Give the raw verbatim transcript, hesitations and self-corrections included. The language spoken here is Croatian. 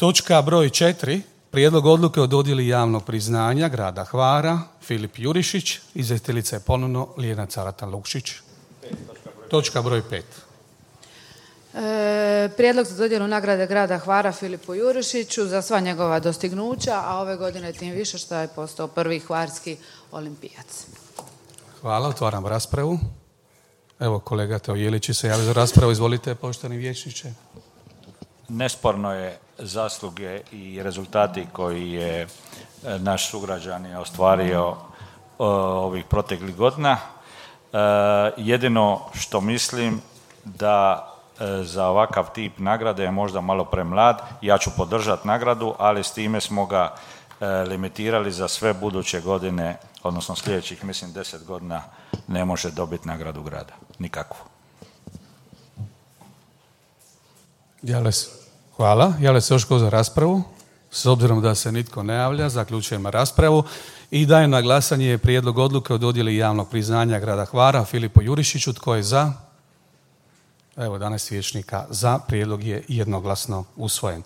Točka broj četiri. Prijedlog odluke o dodjeli javnog priznanja grada Hvara, Filip Jurišić, izvjestiteljica je ponovno Ljiljana Caratan Lukšić. Točka broj pet. E, prijedlog za dodjelu nagrade grada Hvara Filipu Jurišiću za sva njegova dostignuća, a ove godine tim više što je postao prvi hvarski olimpijac. Hvala, otvaram raspravu. Evo, kolega Teo Jelić se javio za raspravu. Izvolite, poštovani vijećniče. Nesporno je zasluge i rezultati koji je naš sugrađanin ostvario ovih proteklih godina. Jedino što mislim da za ovakav tip nagrade je možda malo premlad. Ja ću podržati nagradu, ali s time smo ga limitirali za sve buduće godine, odnosno sljedećih, mislim, deset godina ne može dobiti nagradu grada. Nikakvu. Jale se, hvala. Jale se još ko za raspravu? S obzirom da se nitko ne javlja, zaključujemo raspravu i dajem na glasanje prijedlog odluke o dodjeli javnog priznanja grada Hvara Filipu Jurišiću. Tko je za? Evo, danas vijećnika za. Prijedlog je jednoglasno usvojen.